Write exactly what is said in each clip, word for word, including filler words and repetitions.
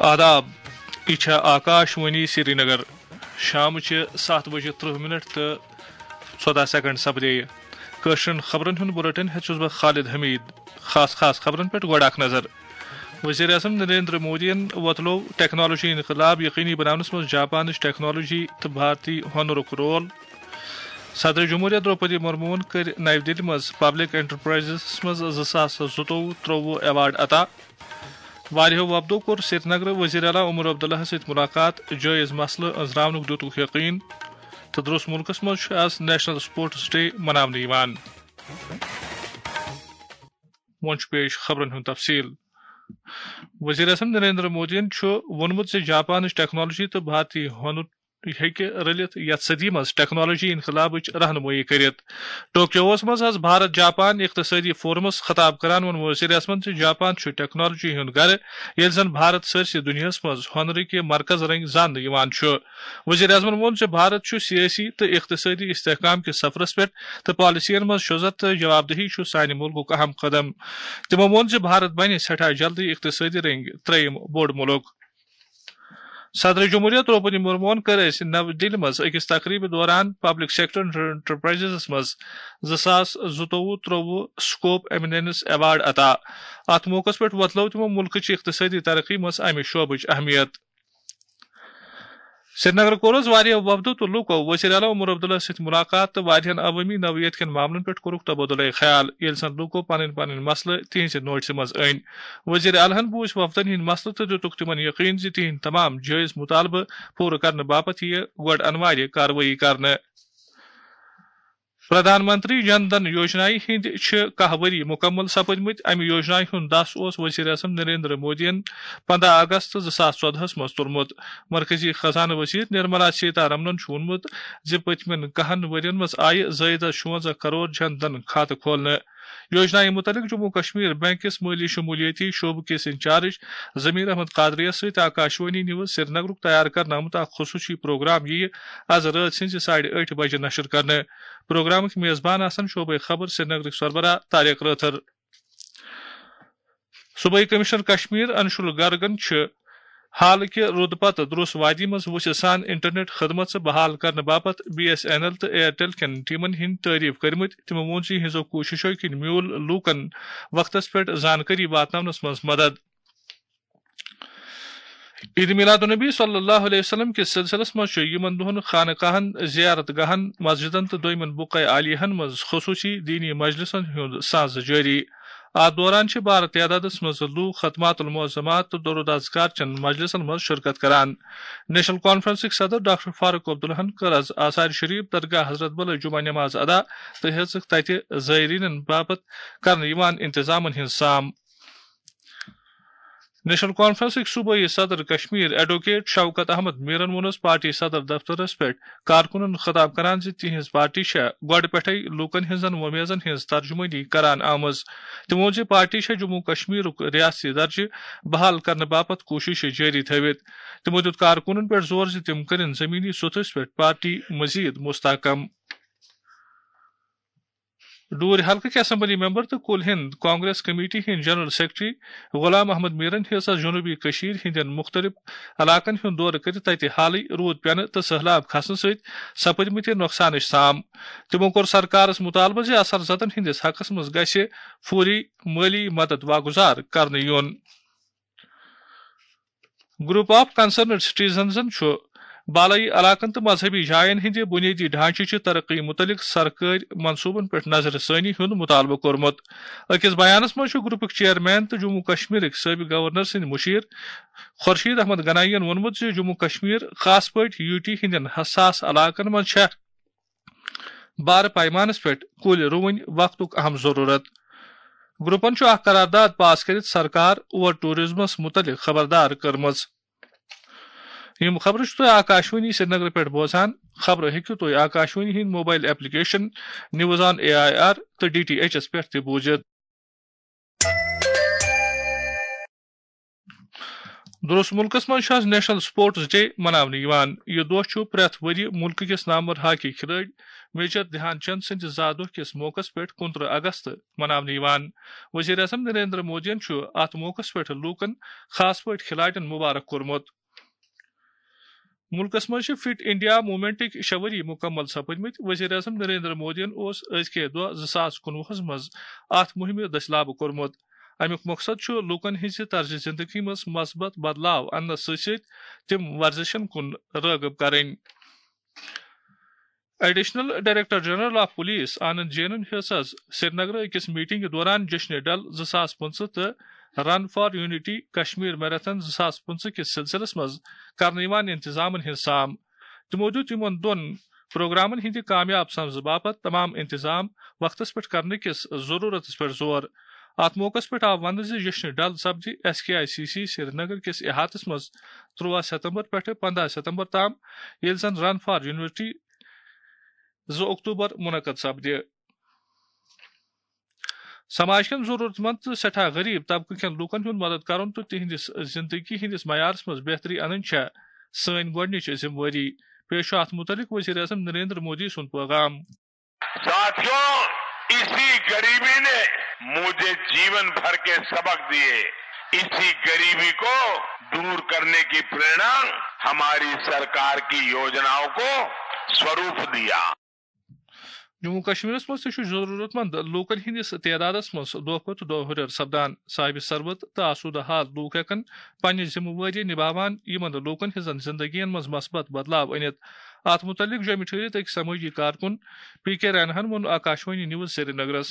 آداب، یہِ چھےٚ آکاش وانی سرینگر۔ شامٕچہِ ستھ بجہِ ترٕٛہ منٹ تہٕ ژۄداہ سیکنڈ سپدے۔ کٲشرٮ۪ن خبرن ہُنٛد بُلٹن ہٮ۪تھ چھُس بہٕ خالد حمید۔ خاص خاص خبرن پٮ۪ٹھ گۄڈٕ اکھ نظر۔ وزیر اعظم نریندر مودیَن وۄتلوو ٹیکنالوجی انقلاب یقینی بناونس منٛز جاپانٕچ ٹیکنالوجی تہٕ بھارتی ہُنرُک رول۔ صدر جمہوریہ درٛوپدی مرموہن کٔرۍ نَوِ دِلہِ منٛز پبلک انٹرپرائزس منٛز زٕ ساس زٕتووُہ ترٛووُہ ایوارڈ عطا۔ واریاہو وفدو کوٚر سرینگرٕ وزیر اعلیٰ عمر عبداللہَس سۭتۍ ملاقات، جٲیز مسلہٕ أنٛزراونُک دِتُکھ یقین تہٕ درٛوس مُلکَس منٛز چھُ آز نیشنل سپورٹس ڈے مناونہٕ یِوان۔ وۄنۍ چھُ پیش خبرن ہُنٛد تفصیل۔ وزیر اعظم نریندر مودیَن چھُ ووٚنمُت زِ جاپانٕچ ٹیکنالوجی تہٕ بھارتی ہُنر ہیٚکہِ رٔلِتھ یَتھ صدی منٛز ٹیکنالوجی انقلابٕچ رہنمٲیی کٔرِتھ۔ ٹوکیوَس منٛز آز بھارت جاپان اقتصٲدی فورمَس خطاب کران ووٚن وزیر اعظمَن زِ جاپان چھُ ٹیکنالوجی ہُنٛد گرٕ، ییٚلہِ زَن بھارت سٲرسٕے دُنیاہَس منٛز ہُنرٕکہِ مرکز رٔنٛگۍ زاننہٕ یِوان چھُ۔ وزیر اعظمَن ووٚن زِ بھارت چھُ سیٲسی تہٕ اقتصٲدی استحکام کِس سفرَس پٮ۪ٹھ تہٕ پالیسیَن منٛز شُزت تہٕ جوابدہی چھُ سانہِ مُلکُک اہم قدم۔ تِمَو ووٚن زِ بھارت بَنہِ سٮ۪ٹھاہ جلدی اقتصٲدی رٔنٛگۍ ترٛیٚیِم بوٚڑ مُلک۔ صدر جمہوریہ درٛوپدی مرموہن کٔر أزۍ نَوِ دِلہِ منٛز أکِس تقریبہِ دوران پبلک سیکٹر انٹرپرائزس منٛز زٕ ساس زٕتووُہ ترٛووُہ سکوپ ایمیننس ایوارڈ عطا۔ اتھ موقعس پٮ۪ٹھ وۄتلٲو تِمو مُلکٕچ اقتصٲدی ترقی منٛز امہِ شعبٕچ اہمیت۔ سرینگر کوٚر آز واریاہو وفدو تہٕ لوٗکو وزیر اعلیٰ عمر عبداللہ سۭتۍ ملاقات تہٕ واریاہن عوٲمی نوعیت کٮ۪ن معاملن پٮ۪ٹھ کوٚرُکھ تبادلہ خیال، ییٚلہِ زن لوٗکو پنٕنۍ پنٕنۍ مسلہٕ تِہنٛزِ نوٹسہِ منٛز أنۍ۔ وزیر اعلیٰ ہن بوٗزۍ وفدن ہٕنٛدۍ مسلہٕ تہٕ دِتُکھ تِمن یقین زِ تِہنٛدۍ تمام جٲیز مطالبہٕ پوٗرٕ کرنہٕ باپتھ یِیہِ گۄڈٕ انوارِ کاروٲیی کرنہٕ۔ پردھان منتری جن دھن یوجنایہِ ہٕنٛدۍ چھِ کاہ ؤری مُکمل سپٕدمٕتۍ۔ امہِ یوجنایہِ ہُنٛد دس اوس وزیر اعظم نریندر مودیَن پنٛداہ اگست زٕ ساس ژۄدہَس منٛز تُلمُت۔ مرکزی خزانہٕ وزیر نرملا سیتارمنَن چھُ ووٚنمُت زِ پٔتمٮ۪ن کاہَن ؤرین منٛز آیہِ زٲیدٕ شُوَنزاہ کرور جن دھن کھاتہٕ کھولنہٕ۔ یوجنایہِ مُتعلِق جموں کشمیر بینک کِس مٲلی شمولیٲتی شعبہٕ کِس انچارج ضمیر احمد قادریَس سۭتۍ آکاشوانی نیوز سرینگرُک تیار کرنہٕ آمُت اکھ خصوٗصی پروگرام یِیہِ از رٲژ سٕنزِ ساڑِ ٲٹھِ بجہِ نشر کرنہٕ۔ پروگرامٕکۍ میزبان آسن شعبے خبر سرینگرٕکۍ سربراہ طارق رٲتھر۔ صوبٲئی کمشنر کشمیر انشول گرگن چھِ حالٕکہِ روٗدٕ پتہٕ درٛوس وادی منٛز وُژھِ سان انٹرنیٹ خدمژٕ بحال کرنہٕ باپتھ بی ایس این ایل تہٕ ایئرٹیل کٮ۪ن ٹیمن ہٕنٛدۍ تعریف کٔرمٕتۍ۔ تِمو ووٚن زِ یِہنٛزو کوٗششو کِنۍ میوٗل لوٗکن وقتس پٮ۪ٹھ زانکٲری واتناونس منٛز مدد۔ عید میلاد النبی صلی اللہ علیہ وسلم کِس سلسلس منٛز چھُ یِمن دۄہن خانقاہن، زیارت گاہن، مسجدن تہٕ دویمن بقعہ عالیہن منٛز خصوصی دینی مجلسن ہُنٛد ساز جٲری۔ اتھ دوران چھِ بارٕ تعدادس منٛز لوٗکھ ختمات المعظمات تہٕ درود اذکار چٮ۪ن مجلسن منٛز شرکت کران۔ نیشنل کانفرنسٕکۍ صدر ڈاکٹر فاروق عبداللہن کٔر از آثار شریف درگاہ حضرت بلہٕ جمعہ نماز ادا تہٕ ہیٚژٕکھ تتہِ زائرینن باپتھ کرنہٕ یِوان انتظامن ہٕنٛز سام۔ نیشنل کانفرنسٕکۍ صوبٲئی صدر کشمیر ایڈووکیٹ شوکت احمد میرن ووٚنُس پارٹی صدر دفترس پٮ۪ٹھ کارکُنن خطاب کران زِ تِہنٛز پارٹی چھےٚ گۄڈٕ پٮ۪ٹھے لوٗکن ہٕنٛزن وۄمیزن ہٕنٛز ترجمٲنی کران آمٕژ۔ تِمو ووٚن زِ پارٹی چھےٚ جموں کشمیرُک ریاستی درجہٕ بحال کرنہٕ باپتھ کوٗشش جٲری تھٲوِتھ۔ تِمو دیُت کارکُنن پٮ۪ٹھ زور زِ تِم کٔرِن زمینی سطحس پٮ۪ٹھ پارٹی مزید مستحکم۔ ڈوٗرۍ حلقٕکۍ اسمبلی ممبر تہٕ کُل ہند کانگریس کمیٹی ہٕنٛدۍ جنرل سیکرٹری غلام احمد میرن ہیٚژ آز جنوبی کٔشیٖر ہٕنٛدٮ۪ن مُختٔلِف علاقن ہُنٛد دورٕ کٔرِتھ تَتہِ حالٕے روٗد پٮ۪نہٕ تہٕ سٔہلاب کھسنہٕ سۭتۍ سپٕدمٕتہِ نۄقصانٕچ سام۔ تِمو کوٚر سرکارس مُطالبہٕ زِ اثر زدن ہٕنٛدِس حقس منٛز گژھِ فوری مٲلی مدد واگُزار کرنہٕ یُن۔ گروپ آف کنسرنڈ سٹیزنزن چھُ بالٲیی علاقن تہٕ مذہبی جاین ہٕنٛدِ بُنیٲدی ڈھانچہٕ چہِ ترقی مُتعلق سرکٲرۍ منصوٗبن پٮ۪ٹھ نظرِ ثٲنی ہُنٛد مُطالبہٕ کوٚرمُت۔ أکِس بیانس منٛز چھُ گروپُک چیئرمین تہٕ جموں کشمیرٕکۍ سٲبق گورنر سٕنٛدۍ مُشیر خورشید احمد گنایی یَن ووٚنمُت زِ جموں کشمیر، خاص پٲٹھۍ یوٗ ٹی ہٕنٛدٮ۪ن حساس علاقن منٛز چھےٚ بارٕ پیمانس پٮ۪ٹھ کُلۍ رُوٕنۍ وقتُک اہم ضروٗرت۔ گروپن چھُ اکھ قرارداد پاس کٔرِتھ سرکار اوور ٹوریزمس مُتعلق خبردار کٔرمٕژ۔ یِم خبرٕ چھِو تُہۍ آکاشوانی سرینگرٕ پٮ۪ٹھ بوزان۔ خبرٕ ہیٚکِو تُہۍ آکاشوانی ہٕنٛدۍ mobile application news on A I R تہٕ ڈی ٹی ایچ ایس پٮ۪ٹھ تہِ بوٗزِتھ۔ درست ملکس منٛز چھُ آز نیشنل سپورٹس ڈے مناونہٕ یِوان۔ یہِ دۄہ چھُ پرٛٮ۪تھ ؤرۍ یہِ مُلکہٕ کِس نامور ہاکی کھلٲڑۍ میجر دھیان چند سٕنٛدِ زا دۄہ کِس موقعس پٮ۪ٹھ کُنترٕہ اگست مناونہٕ یِوان۔ وزیر اعظم نریندر مودیَن چھُ اَتھ موقعس پٮ۪ٹھ لوٗکن، خاص پٲٹھۍ کھلاڑٮ۪ن، مبارک کوٚرمُت۔ مُلکس منٛز چھِ فٹ انڈیا موومنٹٕکۍ شےٚ ؤری مُکمل سپٕدمٕتۍ۔ وزیر اعظم نریندر مودیَن اوس أزکہِ دۄہ زٕ ساس کُنوُہس منٛز اَتھ مُہِمہِ دٔسۍ لابہٕ کوٚرمُت۔ اَمیُک مقصد چھُ لوٗکن ہٕنٛزِ طرزِ زِندگی منٛز مثبت بدلاو اَننَس سۭتۍ سۭتۍ تِم ورزشن کُن رٲغب کرٕنۍ۔ Additional director general of police Anand جینن ہیٚژ آز سرینگرٕ أکِس میٹنگہِ دوران جشن ڈل زٕ ساس پٕنٛژٕہ تہٕ run for unity Kashmir marathon زٕ ساس پٕنٛژٕہ کِس سلسلس منٛز کرنہٕ یِوان انتظامن ہٕنٛز سام۔ تِمو دیُت یِمن دۄن پروگرامن ہٕنٛدِ کامیاب سپزٕ باپتھ تمام انتظام وقتس پٮ۪ٹھ کرنہٕ کِس ضروٗرتس پٮ۪ٹھ زور۔ اتھ موقعس پٮ۪ٹھ آو وننہٕ زِ جشن ڈل سپدِ S K I C C Srinagar کِس احاطس منٛز تُرٛواہ ستمبر پٮ۪ٹھٕ پنٛداہ ستمبر تام، ییٚلہِ زن رن فار یونٹی زٕ اکتوبر منعقد سپدِ۔ سماج کٮ۪ن ضروٗرت مند تہٕ سٮ۪ٹھاہ غریب طبقہٕ کٮ۪ن لوٗکن ہُنٛد مدد کرُن تہٕ تِہنٛدِس زندگی ہٕنٛدِس معیارس منٛز بہتری انٕنۍ چھےٚ سٲنۍ گۄڈٕنِچ ذمہٕ وٲری۔ پیش چھُ اتھ متعلق وزیر اعظم نریندر مودی سُنٛد پیغام۔ साथियों, इसी गरीबी ने मुझे जीवन भर के सबक दिए। इसी गरीबी को दूर करने की प्रेरणा हमारी सरकार की योजनाओं को स्वरूप दिया। جموں کشمیرس منٛز تہِ چھُ ضروٗرت مند لوٗکن ہٕنٛدِس تعدادس منٛز دۄہ کھۄتہٕ دۄہ ہُرٮ۪ر سپدان۔ صاحب ثروت تہٕ آسودٕ حال لوٗکھ ہٮ۪کن پننہِ ذمہٕ وٲری نباوان یِمن لوٗکن ہٕنٛزن زندگین منٛز مثبت بدلاو أنِتھ۔ اتھ متعلق جوٚمہِ ٹھٔہرِتھ أکۍ سمٲجی کارکُن پی کے ریناہن ووٚن آکاشوانی نیوز سرینگرس۔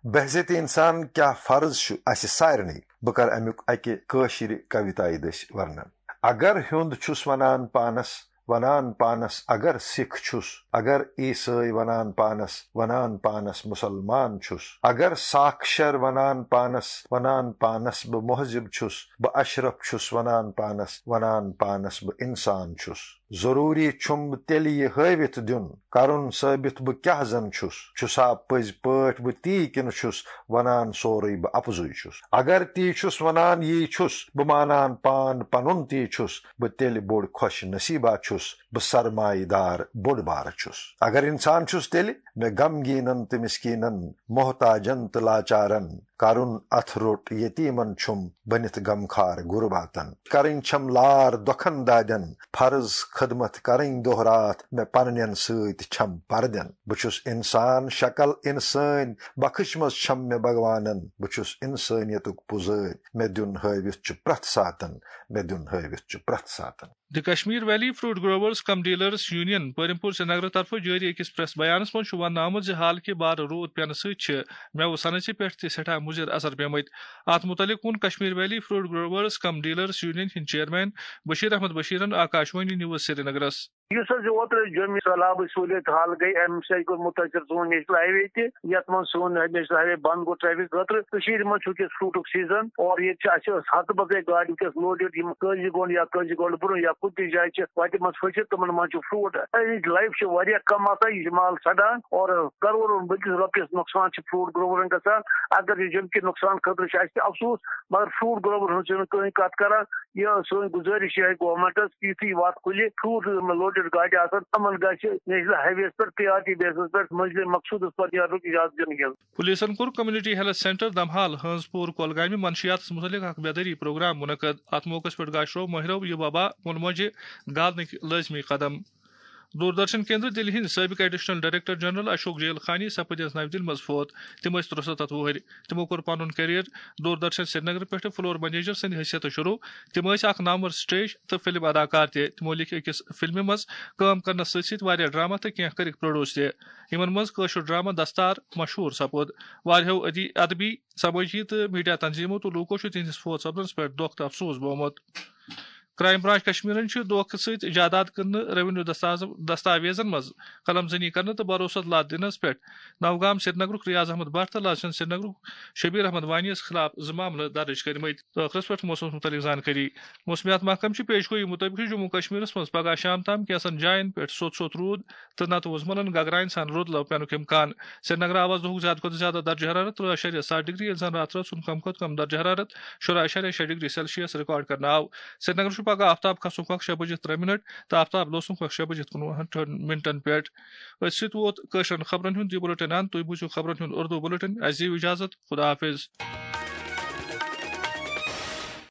بحیثیت انسان کیا فرض چھُ اسہِ سارنٕے؟ بہٕ کرٕ امیُک اکہِ کٲشرِ کویتایہِ دٔسۍ ورنن۔ اگر ہیوٚند چھُس ونان پانس، ونان پانس اگر سکھ چھُس، اگر عیسٲے ونان پانس، ونان پانس مسلمان چھُس، اگر ساکشر ونان پانس، ونان پانس بہٕ مہذب چھُس، بہٕ اشرف چھُس ونان پانس، ونان پانس بہٕ انسان چھُس۔ ضروٗری چھُم تیٚلہِ یہِ ہٲوِتھ دیُن، کرُن ثٲبِت بہٕ کیاہ زن چھُس، چھُسا پٔزۍ پٲٹھۍ بہٕ تی کِنہٕ چھُس ونان سورُے بہٕ اپزُے چھُس۔ اگر تی چھُس ونان یی چھُس، بہٕ مانان پان پنُن تی چھُس، بہٕ تیٚلہِ بوٚڑ خۄش نصیٖبا چھُس، بہٕ سرمایہِ دار بوٚڑ بارٕ چھُس۔ اگر انسان چھُس تیٚلہِ مےٚ غمگیٖنن تہٕ مسکیٖنن، محتاجن تہٕ لاچارن، کرُن اتھ روٚٹ یتیمن چھُم بٔنِتھ غمخار غرباتن۔ کرٕنۍ چھم لار دۄکھن دادٮ۪ن، فرض خدمت کرٕنۍ دۄہ راتھ مےٚ پننٮ۪ن سۭتۍ چھم پردٮ۪ن۔ بہٕ چھُس انسان شکل انسٲنۍ، بخش منٛز چھم مےٚ بھگوانن۔ بہٕ چھُس انسٲنیتُک پُزٲرۍ، مےٚ دیُن ہٲوِتھ چھُ پرٛٮ۪تھ ساتن، مےٚ دیُن ہٲوِتھ چھُ پرٛٮ۪تھ ساتن۔ The Kashmir Valley Fruit Growers cum Dealers Union Prem پور سرینگرٕ طرفہٕ جٲری أکِس پریس بیانس منٛز چھُ وننہٕ آمُت زِ حالکہِ بارٕ روٗد پینہٕ سۭتۍ چھِ مٮ۪وٕ صنعژِ پٮ۪ٹھ تہِ سٮ۪ٹھاہ مُضِر اثر پیمٕتۍ۔ اتھ مُتعلق ووٚن کشمیر ویلی فروٹ گروورز کم ڈیلرز یونین ہٕنٛدۍ چیئرمین بشیر احمد بشیرن آکاشوانی نیوز سرینگرس۔ یُس حظ یہِ اوترٕ جوٚمہِ سہلابٕچ سہوٗلیت حال گٔے، اَمہِ سۭتۍ گوٚو مُتٲثِر سون نیشنل ہائی وے تہِ، یَتھ منٛز سون نیشنل ہائی وے بنٛد گوٚو ٹریفک خٲطرٕ۔ کٔشیٖرِ منٛز چھُ وٕنکیٚس فروٗٹُک سیٖزن اور ییٚتہِ چھِ اَسہِ ہَتہٕ بَدلے گاڑِ وٕنکیٚس لوڈٕڈ، یِم کٲنٛزِ گۄنٛڈ یا کٲنٛزِ گۄنٛڈ برٛونٛہہ یا کُنہِ تہِ جایہِ چھِ وَتہِ منٛز پھٔسِتھ، تِمن منٛز چھُ فروٗٹ۔ اَمِچ لایف چھِ واریاہ کَم آسان، یہِ چھِ مال سَڑان اور کَرورَن بٔلکِس رۄپیَس نۄقصان چھِ فروٗٹ گروورَن گژھان۔ اگر یہِ جوٚمہِ کہِ نۄقصان خٲطرٕ چھُ اَسہِ تہِ افسوٗس، مگر فروٗٹ گروور ہُنٛد چھُنہٕ کٕہٕنۍ کَتھ کَران۔ یہِ سٲنۍ گُزٲرِش چھِ گورنمنٹس، یُتھُے وَتھ کھُلہِ، فروٗٹ لوڈٕڈ گاڑِ آسَن، یِمَن گژھِ نیشنل ہائی وییَس پٮ۪ٹھ پریارٹی بیسس پٮ۪ٹھ منزلِ مقصوٗدس پتہٕ نیرنُک اجازت دِنہٕ یُن۔ پُلیٖسن کوٚر کمیونٹی ہیلتھ سینٹر دمحال ہٲنز پوٗر کۄلگامہِ منشیاتس مُتعلق اکھ بیدٲری پروگرام مُنعقد۔ اتھ موقعس پٮ۪ٹھ گاشروو مٲہرو یہِ وبا مُلموجہِ گالنٕکۍ لٲزمی قدم۔ دوردرشن کیندر دِلہِ ہٕنٛدۍ سٲبِق ایڈیشنل ڈائریکٹر جنرل اشوک جیل خانی سپٕدۍ آز نَوِ دِلہِ منٛز فوت۔ تِم ٲسۍ ترُسَتتھ وُہٕرۍ۔ تِمو کوٚر پنُن کیریئر دوردرشن سرینگر پٮ۪ٹھٕ فلور منیجر سٕنٛدِ حیثیتہٕ شروع۔ تِم ٲسۍ اکھ نامور سٹیج تہٕ فلم اداکار تہِ۔ تِمو لیکھۍ أکِس فلمہِ منٛز کٲم کرنس سۭتۍ سۭتۍ واریاہ ڈرامہ تہٕ کینٛہہ کٔرِکھ پروڈیوس تہِ، یِمن منٛز کٲشُر ڈرامہ دستار مشہوٗر سپُد۔ واریاہو ادی-، ادبی، سمٲجی تہٕ میڈیا تنظیمو تہٕ لوٗکو چھُ تِہنٛدِس فوت سپدنس پٮ۪ٹھ دۄکھ تہٕ افسوس بوومُت۔ کرائم برانچ کشمیرن چھُ دھوکہٕ سۭتۍ جائیداد کٕننہٕ، ریونیو دستاز-، دستاویزن منٛز قلم زنی کرنہٕ تہٕ بھروسس لد دِنس پٮ۪ٹھ نوگام سرینگرُک ریاض احمد بٹ تہٕ لال چنٛد سرینگرُک شبیر احمد وانی یَس خلاف زٕ معاملہٕ درج کٔرمٕتۍ۔ ٲخرس پٮ۪ٹھ موسمس مُتعلق زانکٲری۔ موسمیات محکمہٕ چھِ پیش گویی مُطٲبِق چھُ جموں کشمیرس منٛز پگاہ شام تام کینٛژن جاین پٮ۪ٹھ سوٚت سوٚت روٗد تہٕ نتہٕ وُزملن گگراین سان رُد لو پینُک امکان۔ سرینگر آو آز دۄہُک زیادٕ کھۄتہٕ زیادٕ درجہ حرارت ترٛہ اعشاریہ ستھ ڈگری، ییٚلہِ زن راتہٕ رٲژ ہُنٛد کم کھۄتہٕ کم درجہ حرارت شُراہ اعشاریہ شےٚ ڈگری سیلسیس ریکارڈ کرنہٕ آو۔ سرینگر چھُ پگاہ آفتاب کھسنُک وقت شےٚ بجے ترٛےٚ منٹ تہٕ آفتاب لوسنُک وقت شےٚ بجے کُنوُہن منٹن پٮ۪ٹھ۔ أتھۍ سۭتۍ ووت کٲشرٮ۪ن خبرن ہُنٛد یہِ بُلٹن اند۔ تُہۍ بوٗزِو خبرن ہُنٛد اردو بُلٹن۔ اَسہِ دِیِو اجازت۔ خدا حافظ۔